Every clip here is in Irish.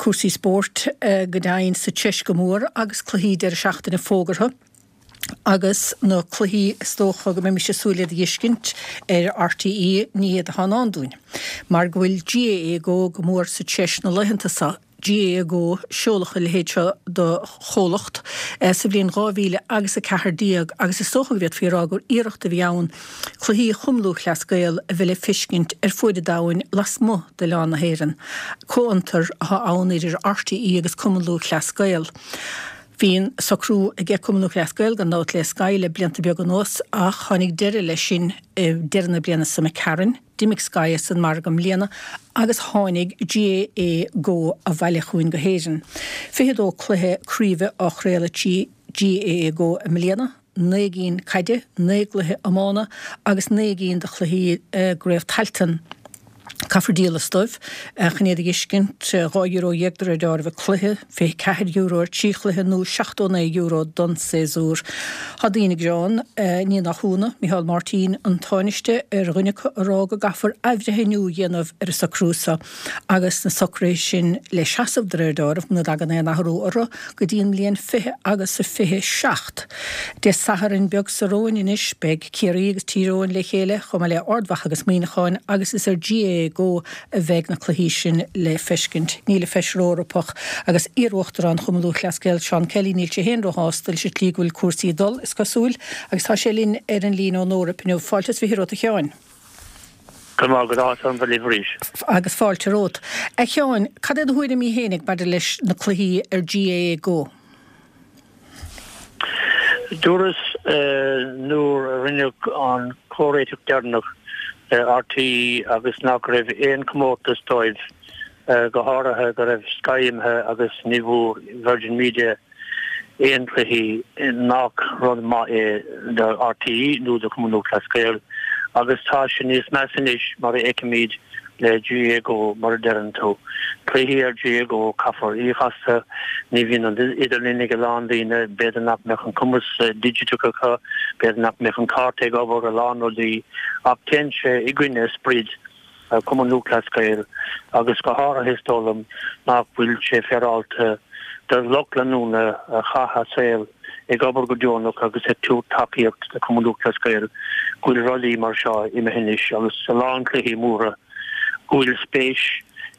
Cúrsaí spóirt go deimhin sa tSeis go mór agus cluichí deireadh seachtaine fógartha agus na cluichí is dócha go mbeimis ag súil iad a fheiscint ar RTÉ ní hiad atá i ndán dúinn mar go bhfuil GAA Go go mór sa treis na laethanta seo. GAA Go, seoladh a leithéid seo de chomhlacht sa bhliain 2000 agus 14 agus is dócha go bhféadfaí a rá gur iarracht a bhí ann cluichí Chumann Lúthchleas Gael a bheith le feiscint ar fuaid an domhain lasmuigh d'oileán na hÉireann. Comhfhiontar atá ann idir RTÉ agus Cumann Lúthchleas Gael. Bhí an socrú aige Cumann Lúthchleas Gael gan dabht le Sky le blianta beaga anuas ach tháinig deireadh leis sin i deireadh na bliana seo imigh tharainn. D'imigh Sky as an margadh i mbliana agus tháinig GAA Go abhaile chugainn go hÉirinn. 22 cluiche craoibhe á chraoladh trí GAA Go i mbliana, 9 gcinn caide, 9 gcluiche iomána agus 9 gcinn de chluichí i gCraobh Tailteann. Caithfear díol astu chun iad a fheiscint, €12 de réir dealraimh an cluiche, €24 ar thrí chluiche nó €79 don séasúr. Tá daoine ag gearán, ní nach ionadh, Micheál Martin, an Tánaiste, ar dhuine acu a rá go gcaithfear athbhreithniú a dhéanamh ar an socrú seo agus na socruithe sin le seasamh de réir dealraimh, muna dtagann aon athrú orthu, go dtí an mbliain 20 agus a 27. Dé Sathairn beag seo romhainn anois, beidh Ciarraí agus Tír Eoghain le chéile, chomh maith le Ard Mhacha agus Muineachán, agus is ar GAA Go a bheidh na cluichí sin le feiscint. Níl an Feisire Eorpach agus iar-Uachtarán Chumann Lúthchleas Gael, Seán Kelly, níl sé féin róshásta leis an tslí go bhfuil cúrsaí ag dul, is cosúil, agus tá sé linn ar an líne ón Eoraip inniu. Fáilte is 20 romhat, a Sheáin. Go raibh maith agat, áthas orm bheith libh arís. Agus fáilte romhat. A Sheáin, cad é do thuairimí fhéinig maidir leis na cluichí ar GAA Go? Dúras nuair a rinneadh an comhréiteach deireanach le RTÉ agus nach raibh aon chomórtas dóibh, go háirithe go raibh Sky imithe agus ní bhfuair Virgin Media aon chluichí, nach rud maith é do RTÉ nó do Chumann Lúthchleas Gael agus tá sé níos measa anois mar a fheicimid le GAA Go, mar a deireann tú. Cluichí ar GAA Go, caithfear íoc astu, ní bhíonn an idirlíon ag a lán daoine, b'fhéidir nach mbeadh an cumas digiteach acu, b'fhéidir nach mbeadh an cárta ag obair, a lán rudaí, ach téann sé i gcoinne sprid Chumann Lúthchleas Gael agus go háirithe is dóigh liom nach bhfuil sé féaráilte do lucht leanúna a chaith a saol ag obair go deonach agus ag tabhairt tacaíocht do Chumann Lúthchleas Gael go bhfuil rudaí mar seo imithe anois agus a lán cluichí móra go bhfuil spéis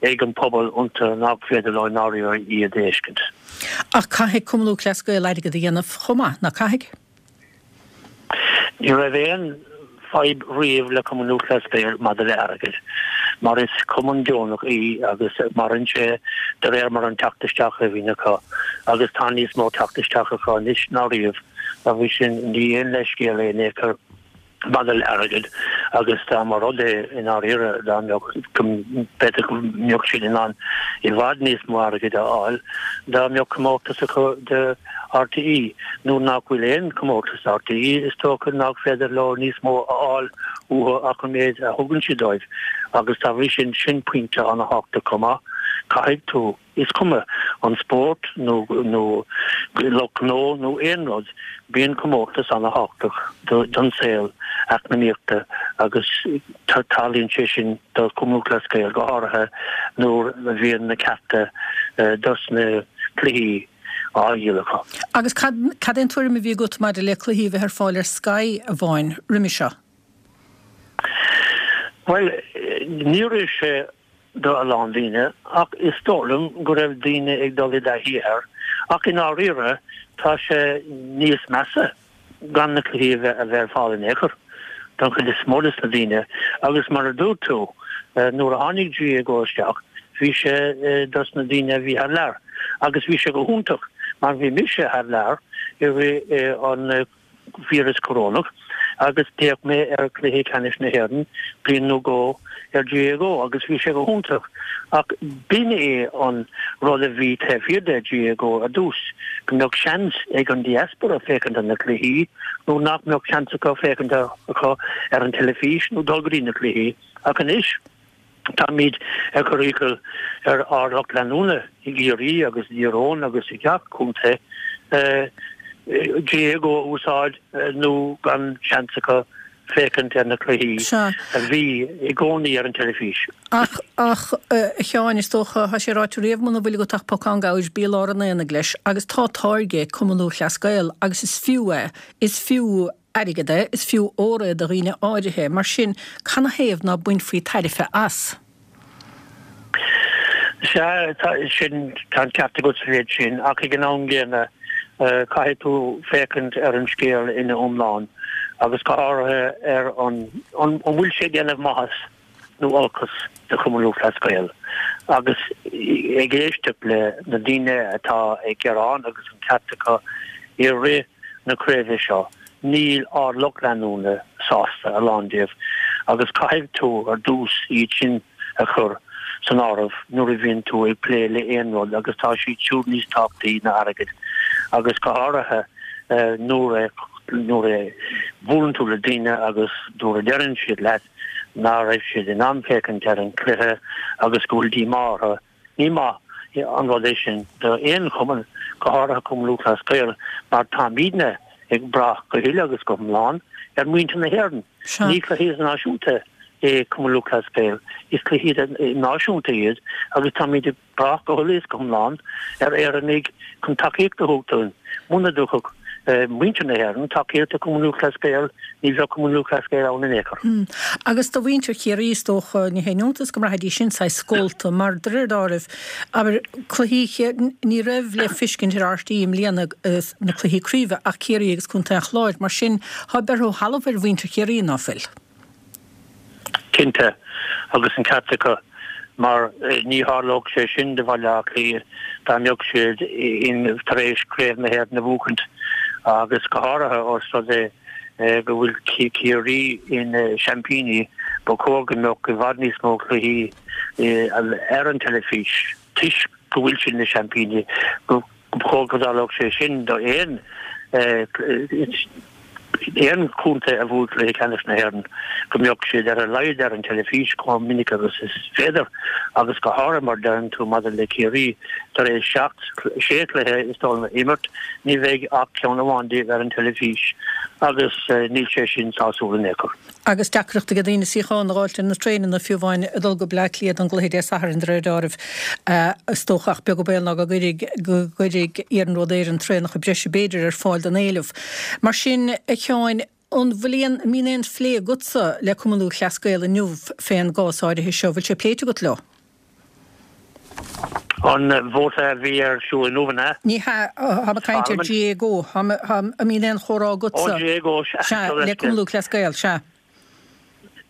ag an pobal iontu nach féidir leo i ndáiríre iad a fheiscint. Ach caithfidh Cumann Lúthchleas Gael airgead a dhéanamh chomh maith, ná caithfidh? Ní raibh aon fadhb riamh le Cumann Lúthchleas Gael maidir le airgead, mar is cumann deonach í agus maireann sé de réir mar an teacht isteach a bhíonn acu agus tá níos mó teacht isteach acu anois ná riamh agus sin ní aon leithscéal é in aon chor maidir le airgead agus dá mba rud é i ndáiríre dá mbeadh b'fhéidir go mbeadh siad in ann i bhfad níos mó airgid a fháil dá mbeadh comórtas acu do RTÉ, nuair nach bhfuil aon chomórtas RTÉ, is dócha nach féidir leo níos mó a fháil uathu ach an méid a thugann siad dóibh agus dá bhrí sin, sin pointe an-thábhachtach chomh maith. Caithfidh tú, is cuma an spórt nó nó lucht gnó nó aon rud, bíonn comórtas an-thábhachtach don saol eacnamaíochta agus tarlaíonn sé sin do Chumann Lúthchleas Gael go háirithe nuair a bhíonn na cearta dos na cluichí á dhíol acu. Agus cad, cad é an tuairim a bhí agat maidir le cluichí a bheith ar fáil ar Sky amháin roimhe seo? Bhuel, ní raibh sé do a lán daoine ach is dóigh liom go raibh daoine ag dul i dtaithí air ach i ndáiríre tá sé níos measa. gan na cluichí a bheith a bheith ar fáil in aon chor don chuid is mó de na daoine agus mar a dúirt tú nuair a tháinig GAA Go isteach bhí sé dos na daoine a bhí thar lear agus bhí sé go hiontach mar bhí mise thar lear i rith an víreas corónach agus d'fhéach mé ar chluiche ceannais na hÉireann bliain nó dhó ar GAA Go agus bhí sé go hiontach ach b'in é an rud a bhí taobh thiar de GAA Go ar dtús, go mbeadh seans ag an diaspora féachaint ar na cluichí nó nach mbeadh seans acu féachaint acu ar an teilifís nó dul go dtí na cluichí ach anois táimid ag cur iachall ar ár lucht leanúna i gCiarraí agus i dTír Eoghain agus i gach contae GAA Go a úsáid nó gan seans acu. féachaint ar na cluichí a bhí i gcónaí ar an teilifís. Ach, ach, a Sheáin, is dócha, tá sé ráite riamh, muna bhfuil agat ach pocán gabhair, bí i lár an aonaigh leis. Agus tá táirge ag Cumann Lúthchleas Gael agus is fiú é, is fiú airgead é, is fiú ór é do dhaoine áirithe. Mar sin, canathaobh ná bainfí tairbhe as? Sea, tá sin, tá an ceart agat sa mhéid sin, ach ag an am gcéanna, caithfidh tú féachaint ar an scéal ina iomlán, agus go háirithe ar an, an bhfuil sé ag déanamh maitheas nó olcas do Chumann Lúthchleas Gael, agus ag éisteacht le na daoine atá ag gearán agus an ceart acu i rith na craoibhe seo, níl ár lucht leanúna sásta, a lán díobh, agus caithfidh tú ar dtús iad sin a chur san áireamh nuair a bhíonn tú ag plé le aon rud agus tá siad siúd níos tábhachtaí ná airgead agus go háirithe nuair a nuair a bhuaileann tú le daoine agus nuair a deireann siad leat ná raibh siad in ann féachaint ar an chluiche agus go bhfuil díomá orthu. Ní maith an rud é sin do aon chumann, go háirithe Cumann Lúthchleas Gael, mar táimidne ag brath go huile agus go hiomlán ar mhuintir na hÉireann. Ní cluiche idirnáisiúnta é Cumann Lúthchleas Gael, is cluichí náisiúnta iad agus táimid ag brath go huile is go hiomlán ar Éireannaigh chun tacaíocht a thabhairt dúinn. Muna dtabharfadh muintir na hÉireann tacaíocht do Chumann Lúthchleas Gael, ní bheadh Cumann Lúthchleas Gael ann in aon chor. Agus do mhuintir Chiarraí, is dócha, ní haon iontas go mbraithfidís sin saghas scólta, mar de réir dealraimh, abair, cluichí Chiarraí, ní raibh le feiscint ar RTÉ i mbliana na cluichí craoibhe ach Ciarraí agus Contae an Chláir, mar sin, tá beirthe ó thalamh ar mhuintir Chiarraí, ná fuil? Cinnte, agus an ceart acu, mar ní tharlódh sé sin do Bhaile Átha Cliath dá mbeadh siad in tar éis Craobh na hÉireann a bhuachaint, agus go háirithe ós rud é go bhfuil Ciarraí ina seaimpíní, ba chóir go mbeadh i bhfad níos mó cluichí ar an teilifís toisc go bhfuil siad ina seaimpíní. Ba chóir go dtarlódh sé sin do aon aon chontae a bhuaigh cluiche ceannais na hÉireann, go mbeadh siad ar a laghad ar an teilifís chomh minic agus is féidir, agus go háirithe mar deireann tú maidir le Ciarraí, tar éis seacht, sé chluiche is dóigh liom a imirt, ní bheidh ach ceann amháin díobh ar an teilifís agus níl sé sin sásúil in aon chor. Agus deacracht ag daoine suíochán a dh'fháilt ar na traenanna, fiú amháin, ag dul go Bleá Cliath don gcluiche Dé Sathairn, de réir deáraimh. Is dócha, ach beag an baol ná go gcuirfidh, go gcuirfidh Iarnród Éireann traenacha breise b'fhéidir ar fáil don éileamh. Mar sin, a Sheáin, an bhfuil aon, an mbíonn aon phlé agatsa le Cumann Lúthchleas Gael inniu fén gcás áirithe seo? Bhfuil sé pléite agat leo? An vóta a bhí ar siúl inniu, an ea? Ní hea, táim ag caint ar GAAGO. An mbíonn aon chomhrá agatsa? Ó, GAAGO, sea. Sea, le Cumann Lúthchleas Gael, sea.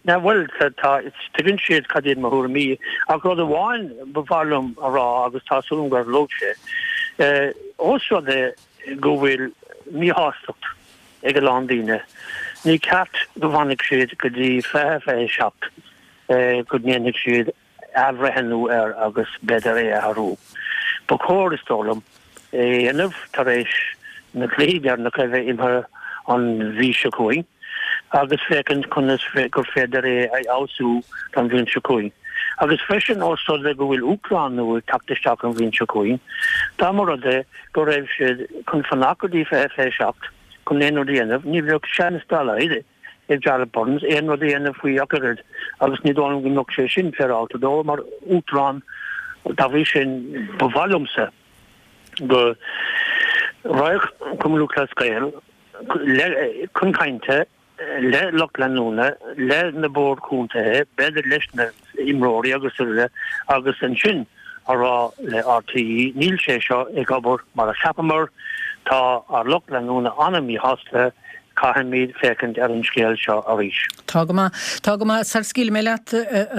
Now, bhuel, tá, tuigeann siad cad iad mo thuairimí, ach rud amháin ba mhaith liom a rá, agus tá súil agam go dtarlóidh sé, ós rud é go bhfuil míshástacht ag a lán daoine, ní ceart go bhfanfaidh siad go dtí 2027 go ndéanfaidh siad athbhreithniú air agus b'fhéidir é a athrú. Ba chóir, is dóigh liom, é a dhéanamh tar éis na cluichí deireanacha a bheith imeartha an mhí seo chugainn agus féachaint conas gur féidir é a fheabhsú don bhliain seo chugainn. Agus freisin, ós rud é go bhfuil uachtarán nua ag teacht isteach an bhliain seo chugainn, dá mba rud é go raibh siad chun fanacht go dtí 2027 chun aon rud a dhéanamh, ní bheadh seans dá laghad ag Jarlath Burns aon rud a dhéanamh faoi ach oiread agus ní dóigh liom go mbeadh sé sin féaráilte dó mar uachtarán. Dá bhrí sin, ba mhaith liomsa go raghadh Cumann Lúthchleas Gael chun cainte le lucht leanúna, le na boird chontaetha, b'fhéidir leis na imreoirí agus uile agus ansin a rá le RTÉ, níl sé seo ag obair mar a cheapamar, tá ár lucht leanúna an-mhíshásta, Caithfimid féachaint ar an scéal seo arís. Tá go maith. Tá go maith. Sara scaoilfidh mé leat,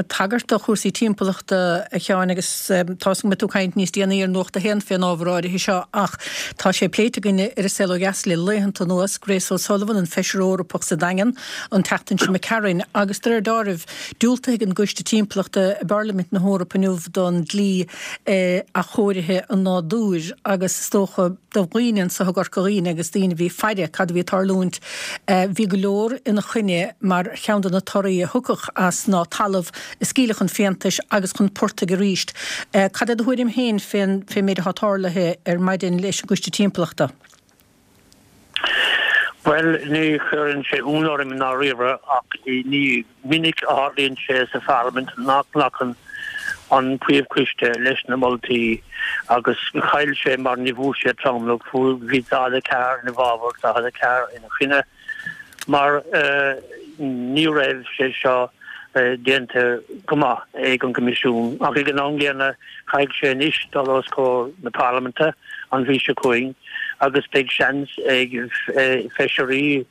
tagairt do chúrsaí timpeallachta, a Sheáin, agus tá 'fhios agam go mbeidh tú ag caint níos déanaí ar Nuacht a hAon fén ábhar áirithe seo, ach tá sé pléite againn ar An Saol Ó Dheas le laethanta anuas, Grace O'Sullivan, an Feisire Eorpach sa Daingean, an tseachtain seo imigh tharainn, agus de réir deáraimh, diúltaithe ag an gCoiste Timpeallachta i bParlaimint na hEorpa inniu don dlí athchóirithe an nádúir agus is dócha, do dhaoine anso i gCorca Dhuibhne agus daoine a bhí ag faire cad a bhí ag tarlúint. Bhí go leor ina choinne mar cheann de na torthaí a thiocfadh as ná talamh a scaoileadh chun fiántais agus chun portaigh arís. Cad é do thuairim féin fén méid atá tarlaithe ar maidin leis an gCoiste Timpeallachta? Bhuel, ní chuireann sé ionadh orm i ndáiríre ach ní minic a tharlaíonn sé sa Pharlaimint nach nglacann an príomhchoiste leis na moltaí agus chaill sé mar ní bhfuair sé tromlach, bhí 44 ina bhfabhar, 44 ina choinne mar ní raibh sé seo déanta go maith ag an gCoimisiún. Ach ag an am gcéanna caithfidh sé anois dul os comhair na Parlaiminte an mhí seo chugainn agus beidh seans ag feisirí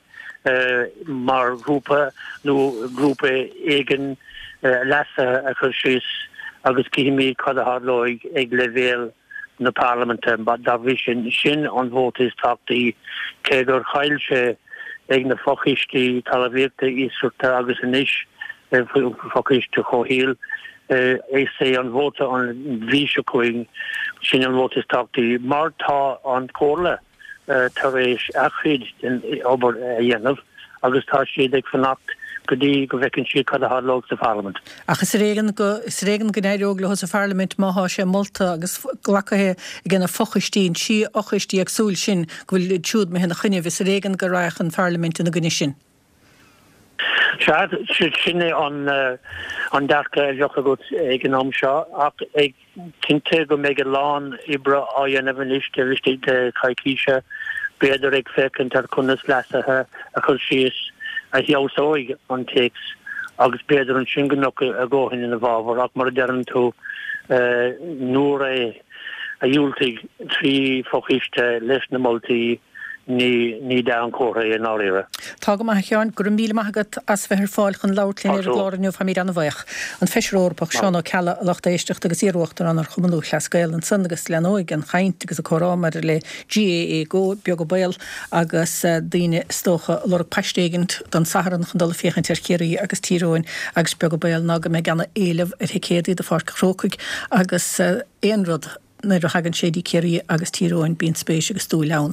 mar ghrúpa nó grúpa éigin leasuithe a chur síos agus cífimid cad a tharlóidh ag leibhéal na Parlaiminte. Dá bhrí sin, sin an vóta is tábhachtaí, cé gur chaill sé ag na fochoistí talmhaíochta, iascaireachta agus anois fochoiste comhshaoil. Is é an vóta an mhí seo chugainn, sin an vóta is tábhachtaí mar tá an Chomhairle tar éis a chuid den obair a dhéanamh agus tá siad ag fanacht go dtí go bhfeiceann siad cad a tharlóidh sa Pharlaimint. Ach is ar éigean go, is ar éigean go n-éireodh leo sa Pharlaimint má thá sé molta agus glactha ag na fochoistí, an trí fhochoistí éagsúil sin, go bhfuil iad siúd imithe ina choinnibh, is ar éigean go raghadh an Pharlaimint ina gcoinne sin. Sea, sin é an dearcadh a bheadh agat ag an am seo ach ag Cinnte go mbeidh a lán oibre á dhéanamh anois taobh istigh de choicíse, b'fhéidir ag féachaint ar conas leasuithe a chur síos a fheabhsóidh an téacs agus b'fhéidir ansin go mbeadh a dhóthain ina bhfabhar ach mar a deireann tú nuair a dhiúltaigh 3 fochoiste leis na moltaí Ní, ní dea-chomhartha é i ndáiríre. Tá go maith, a Sheáin. Go raibh míle maith agat as bheith ar fáil chun labhairt linn ar an gclár inniu. Táimid an-bhaoch. An Feisire Eorpach Seán Ó Ceallaigh, a lucht éisteachta, agus iar-Uachtarán ar Chumann Lúthchleas Gael ansan agus leanóidh an chaint agus an comhrá maidir le GAA Go, beag an baol, agus daoine is dócha ag lorg paiste éigint don Satharn chun dul ag féachaint ar Chiarraí agus Tír Eoghain agus beag an baol ná go mbeidh ana-éileamh ar thicéadaí do Pháirc an Chrócaigh agus aon rud Nuair a thagann sé dtí Ciarraí agus Tír Eoghain bíonn spéis agus dúil ann.